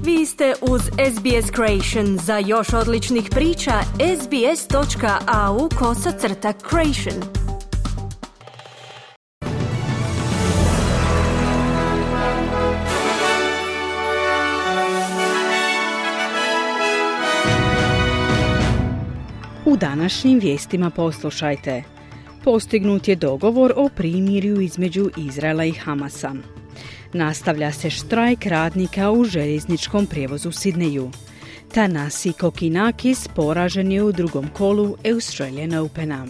Vi ste uz SBS Creation. Za još odličnih priča, sbs.au/creation. U današnjim vijestima poslušajte. Postignut je dogovor o primirju između Izraela i Hamasa. Nastavlja se štrajk radnika u željezničkom prijevozu u Sidneju. Thanasi Kokkinakis poražen je u drugom kolu Australian Opena.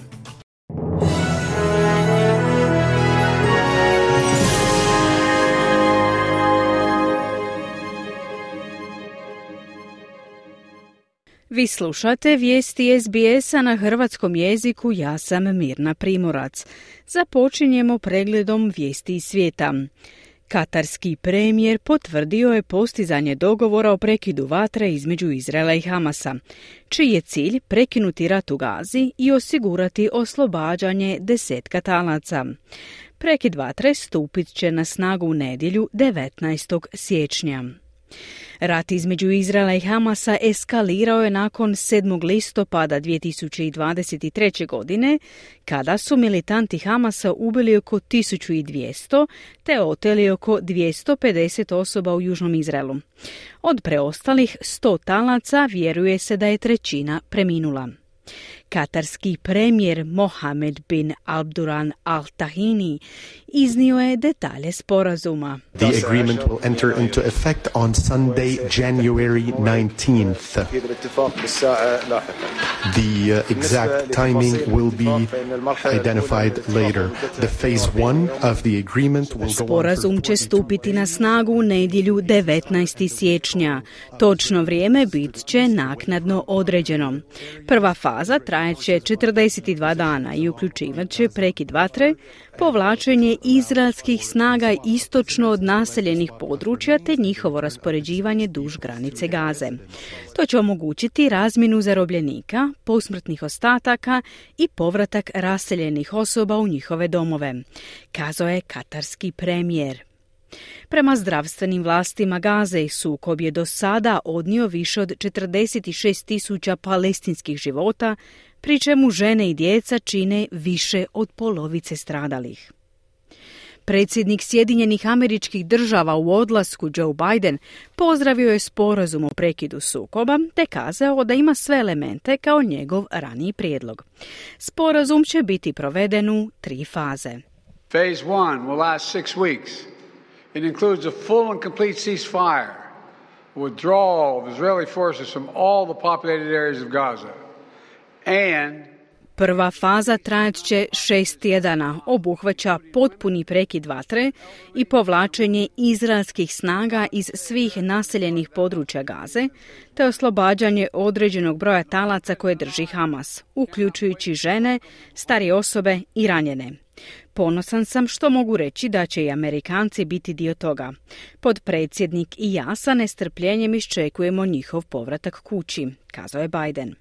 Vi slušate vijesti SBS-a na hrvatskom jeziku, ja sam Mirna Primorac. Započinjemo pregledom vijesti iz svijeta. Katarski premijer potvrdio je postizanje dogovora o prekidu vatre između Izraela i Hamasa, čiji je cilj prekinuti rat u Gazi i osigurati oslobađanje 10 talaca. Prekid vatre stupit će na snagu u nedjelju 19. siječnja. Rat između Izraela i Hamasa eskalirao je nakon 7. listopada 2023. godine, kada su militanti Hamasa ubili oko 1200 te oteli oko 250 osoba u južnom Izraelu. Od preostalih 100 talaca vjeruje se da je trećina preminula. Katarski premijer Mohammed bin Abdulrahman Al Thani iznio je detalje sporazuma. The agreement will enter into effect on Sunday, January 19th. The exact timing will be identified later. The phase 1 of the agreement will go on. Sporazum će stupiti na snagu u nedjelju 19. siječnja. Točno vrijeme bit će naknadno određeno. Prva faza trajeće 42 dana i uključivat će prekid vatre, povlačenje izraelskih snaga istočno od naseljenih područja te njihovo raspoređivanje duž granice Gaze. To će omogućiti razmjenu zarobljenika, posmrtnih ostataka i povratak raseljenih osoba u njihove domove, kazao je katarski premijer. Prema zdravstvenim vlastima Gaze, sukob je do sada odnio više od 46.000 palestinskih života, pri čemu žene i djeca čine više od polovice stradalih. Predsjednik Sjedinjenih Američkih Država u odlasku Joe Biden pozdravio je sporazum o prekidu sukoba te kazao da ima sve elemente kao njegov raniji prijedlog. Sporazum će biti proveden u 3 faze. Phase 1 will last 6 weeks. It includes a full and complete ceasefire, withdrawal of Israeli forces from all the populated areas of Gaza, and prva faza trajat će 6 tjedana, obuhvaća potpuni prekid vatre i povlačenje izraelskih snaga iz svih naseljenih područja Gaze, te oslobađanje određenog broja talaca koje drži Hamas, uključujući žene, starije osobe i ranjene. Ponosan sam što mogu reći da će i Amerikanci biti dio toga. Potpredsjednik i ja sa nestrpljenjem iščekujemo njihov povratak kući, kazao je Biden.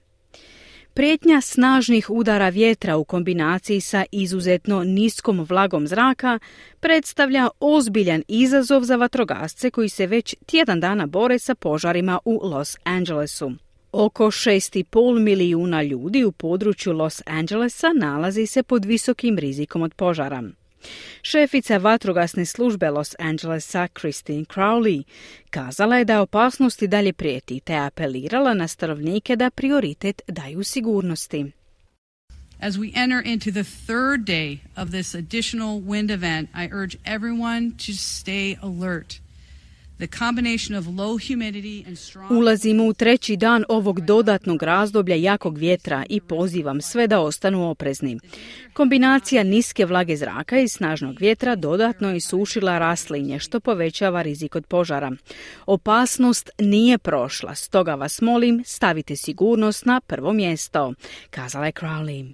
Prijetnja snažnih udara vjetra u kombinaciji sa izuzetno niskom vlagom zraka predstavlja ozbiljan izazov za vatrogasce koji se već tjedan dana bore sa požarima u Los Angelesu. Oko 6,5 milijuna ljudi u području Los Angelesa nalazi se pod visokim rizikom od požara. Šefica vatrogasne službe Los Angelesa Christine Crowley kazala je da opasnosti dalje prijeti te apelirala na stanovnike da prioritet daju sigurnosti. As we enter into the third day of this additional wind event, I urge everyone to stay alert. Ulazimo u 3. dan ovog dodatnog razdoblja jakog vjetra i pozivam sve da ostanu oprezni. Kombinacija niske vlage zraka i snažnog vjetra dodatno je isušila raslinje, što povećava rizik od požara. Opasnost nije prošla, stoga vas molim, stavite sigurnost na prvo mjesto, kazala je Crowley.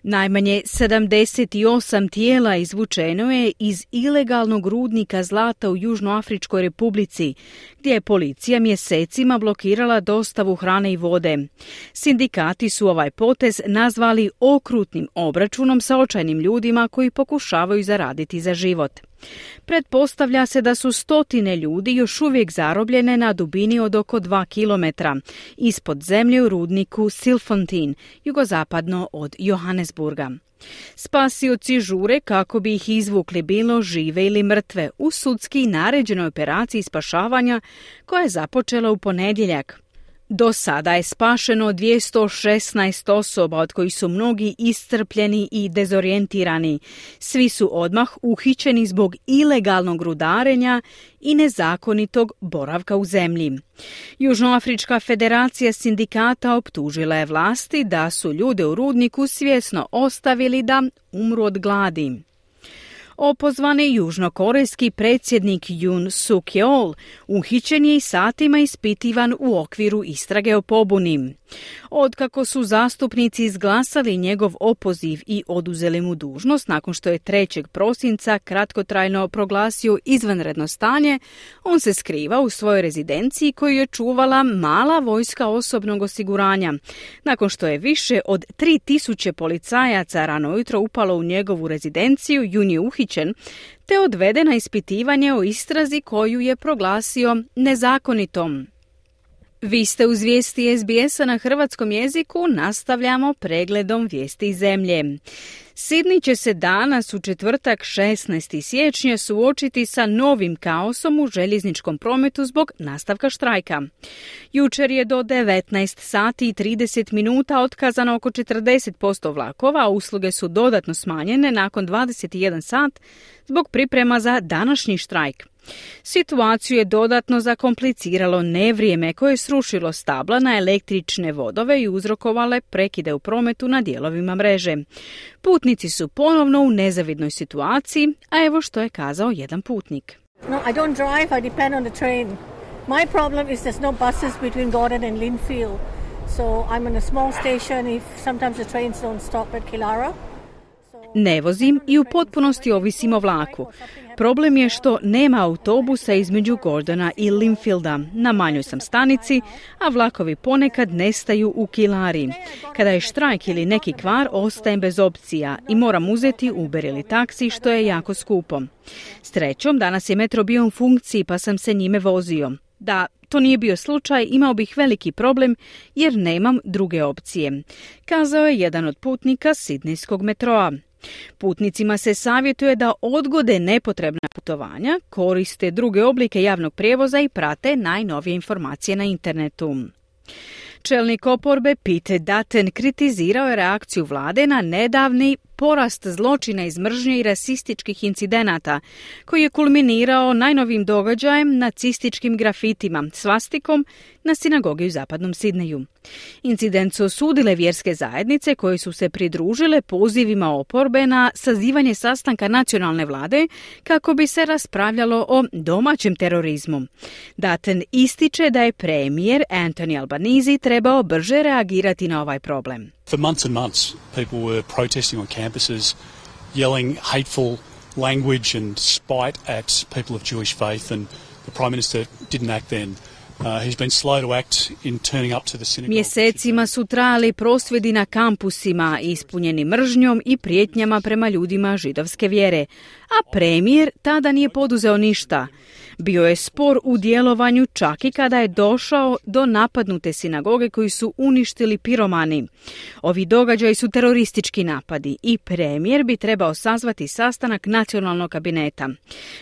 Najmanje 78 tijela izvučeno je iz ilegalnog rudnika zlata u Južnoafričkoj Republici, gdje je policija mjesecima blokirala dostavu hrane i vode. Sindikati su ovaj potez nazvali okrutnim obračunom sa očajnim ljudima koji pokušavaju zaraditi za život. Pretpostavlja se da su stotine ljudi još uvijek zarobljene na dubini od oko 2 kilometra ispod zemlje u rudniku Silfontein, jugozapadno od Johannesburga. Spasioci žure kako bi ih izvukli bilo žive ili mrtve u sudski naređenoj operaciji spašavanja koja je započela u ponedjeljak. Do sada je spašeno 216 osoba, od kojih su mnogi iscrpljeni i dezorijentirani. Svi su odmah uhićeni zbog ilegalnog rudarenja i nezakonitog boravka u zemlji. Južnoafrička federacija sindikata optužila je vlasti da su ljude u rudniku svjesno ostavili da umru od gladi. Opozvani južnokorejski predsjednik Yoon Suk Yeol uhićen je i satima ispitivan u okviru istrage o pobuni. Otkako su zastupnici izglasali njegov opoziv i oduzeli mu dužnost nakon što je 3. prosinca kratkotrajno proglasio izvanredno stanje, on se skriva u svojoj rezidenciji koju je čuvala mala vojska osobnog osiguranja. Nakon što je više od 3000 policajaca rano ujutro upalo u njegovu rezidenciju, Yoon je uhićen te odveden na ispitivanje o istrazi koju je proglasio nezakonitom. Vi ste uz vijesti SBS-a na hrvatskom jeziku, nastavljamo pregledom vijesti iz zemlje. Sidney će se danas u četvrtak 16. siječnja suočiti sa novim kaosom u željezničkom prometu zbog nastavka štrajka. Jučer je do 19 sati i 30 minuta otkazano oko 40% vlakova, a usluge su dodatno smanjene nakon 21 sat zbog priprema za današnji štrajk. Situaciju je dodatno zakompliciralo nevrijeme koje je srušilo stabla na električne vodove i uzrokovale prekide u prometu na dijelovima mreže. Putnici su ponovno u nezavidnoj situaciji, a evo što je kazao jedan putnik. No, I don't drive, I depend on the train. My problem is there's no buses between Gordon and Linfield. So I'm on a small station if sometimes the trains don't stop at Kilara. Ne vozim i u potpunosti ovisim o vlaku. Problem je što nema autobusa između Gordona i Linfielda. Na manjoj sam stanici, a vlakovi ponekad nestaju u Kilari. Kada je štrajk ili neki kvar, ostajem bez opcija i moram uzeti Uber ili taksi, što je jako skupo. Srećom, danas je metro bio u funkciji pa sam se njime vozio. Da to nije bio slučaj, imao bih veliki problem jer nemam druge opcije, kazao je jedan od putnika sidnejskog metroa. Putnicima se savjetuje da odgode nepotrebna putovanja, koriste druge oblike javnog prijevoza i prate najnovije informacije na internetu. Čelnik oporbe Pete Dutton kritizirao je reakciju vlade na nedavni porast zločina iz mržnje i rasističkih incidenata, koji je kulminirao najnovim događajem nacističkim grafitima, svastikom na sinagogi u zapadnom Sidneju. Incident su osudile vjerske zajednice koje su se pridružile pozivima oporbe na sazivanje sastanka nacionalne vlade kako bi se raspravljalo o domaćem terorizmu. Dutton ističe da je premijer Anthony Albanese trebao brže reagirati na ovaj problem. For months and months, people were protesting on campuses, yelling hateful language and spite at people of Jewish faith, and the Prime Minister didn't act then. He's been slow to act in turning up to the synagogue. Mjesecima su trajali prosvjedi na kampusima, ispunjeni mržnjom i prijetnjama prema ljudima židovske vjere, a premijer tada nije poduzeo ništa. Bio je spor u djelovanju čak i kada je došao do napadnute sinagoge koju su uništili piromani. Ovi događaji su teroristički napadi i premijer bi trebao sazvati sastanak nacionalnog kabineta.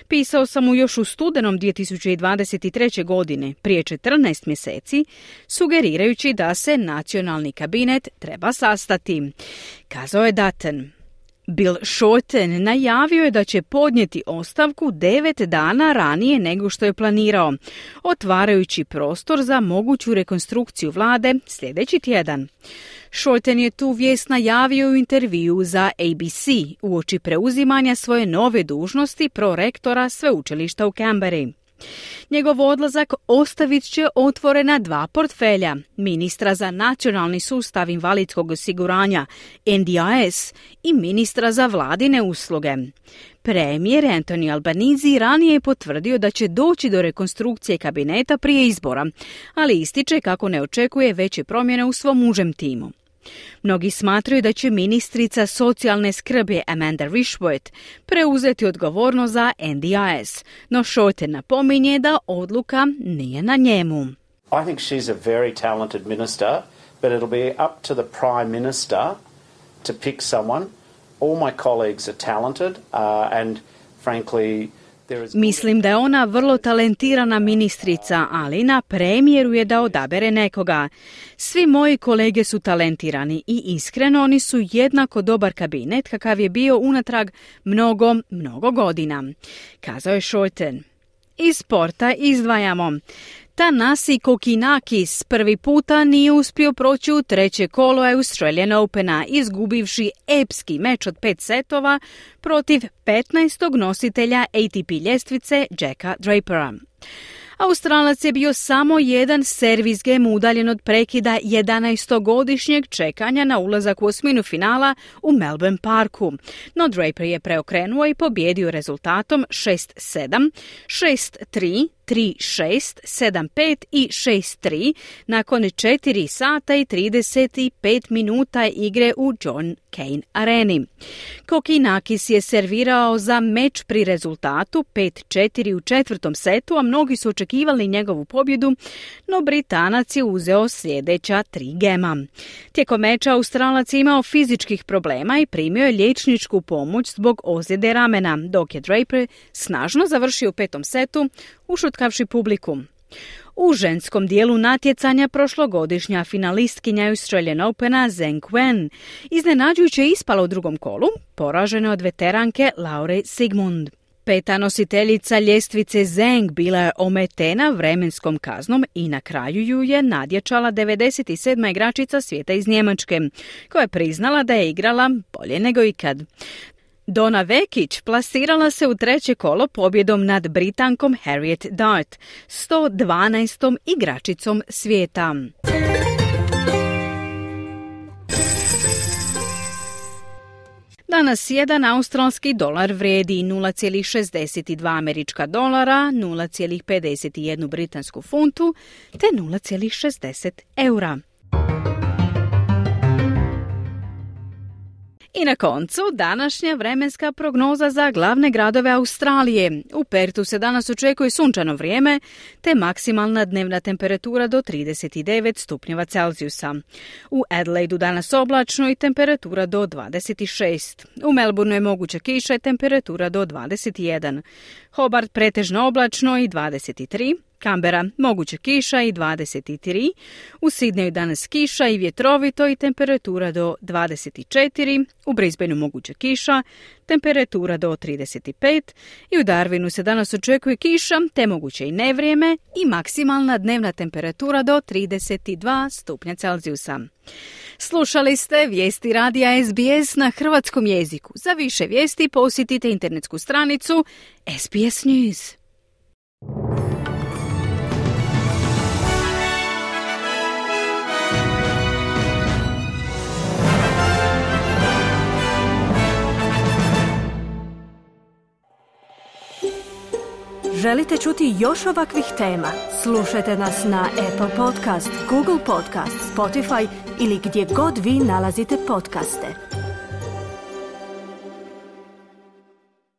Pisao sam mu još u studenom 2023. godine, prije 14 mjeseci, sugerirajući da se nacionalni kabinet treba sastati, kazao je Dutton. Bill Shorten najavio je da će podnijeti ostavku 9 dana ranije nego što je planirao, otvarajući prostor za moguću rekonstrukciju vlade sljedeći tjedan. Shorten je tu vijest najavio u intervjuu za ABC uoči preuzimanja svoje nove dužnosti prorektora sveučilišta u Canberri. Njegov odlazak ostavit će otvorena 2 portfelja, ministra za nacionalni sustav invalidskog osiguranja NDIS i ministra za vladine usluge. Premijer Anthony Albanese ranije je potvrdio da će doći do rekonstrukcije kabineta prije izbora, ali ističe kako ne očekuje veće promjene u svom užem timu. Mnogi smatraju da će ministrica socijalne skrbi Amanda Rishworth preuzeti odgovornost za NDIS, no Shorten napominje da odluka nije na njemu. I think she's a very talented minister, but it'll be up to the Prime Minister to pick someone. All my colleagues are talented and frankly Mislim da je ona vrlo talentirana ministrica, ali na premijeru je da odabere nekoga. Svi moji kolege su talentirani i iskreno oni su jednako dobar kabinet kakav je bio unatrag mnogo godina, kazao je Shorten. Iz sporta izdvajamo. Tanasi Kokinakis prvi puta nije uspio proći u treće kolo Australian Opena, izgubivši epski meč od 5 setova protiv 15. nositelja ATP ljestvice Jacka Drapera. Australac je bio samo jedan servis game udaljen od prekida 11-godišnjeg čekanja na ulazak u osminu finala u Melbourne Parku. No Draper je preokrenuo i pobjedio rezultatom 6-7, 6-3, 3-6, 7-5 i 6-3 nakon 4 sata i 35 minuta igre u John Cain areni. Kokinakis je servirao za meč pri rezultatu 5-4 u četvrtom setu, a mnogi su očekivali njegovu pobjedu, no Britanac je uzeo sljedeća 3 gema. Tijekom meča Australac je imao fizičkih problema i primio je liječničku pomoć zbog ozljede ramena, dok je Draper snažno završio u 5. setu, ušutkavši publiku. U ženskom dijelu natjecanja prošlogodišnja finalistkinja Australian Opena Zheng Wen iznenađujuće ispala u drugom kolu, poražena od veteranke Laure Sigmund. 5. nositeljica ljestvice Zheng bila je ometena vremenskom kaznom i na kraju ju je nadjačala 97. igračica svijeta iz Njemačke, koja je priznala da je igrala bolje nego ikad. Donna Vekić plasirala se u treće kolo pobjedom nad Britankom Harriet Dart, 112. igračicom svijeta. Danas jedan australski dolar vrijedi 0,62 američka dolara, 0,51 britansku funtu te 0,60 eura. I na koncu, današnja vremenska prognoza za glavne gradove Australije. U Pertu se danas očekuje sunčano vrijeme, te maksimalna dnevna temperatura do 39 stupnjeva Celzijusa. U Adelaidu danas oblačno i temperatura do 26. U Melbourneu je moguća kiša i temperatura do 21. Hobart pretežno oblačno i 23. Canberra moguća kiša i 23. U Sydneyu danas kiša i vjetrovito i temperatura do 24. U Brisbaneu moguća kiša, temperatura do 35. I u Darwinu se danas očekuje kiša, te moguće i nevrijeme i maksimalna dnevna temperatura do 32 stupnja Celzijusa. Slušali ste vijesti radija SBS na hrvatskom jeziku. Za više vijesti posjetite internetsku stranicu SBS News. Želite čuti još ovakvih tema? Slušajte nas na Apple Podcast, Google Podcast, Spotify ili gdje god vi nalazite podcaste.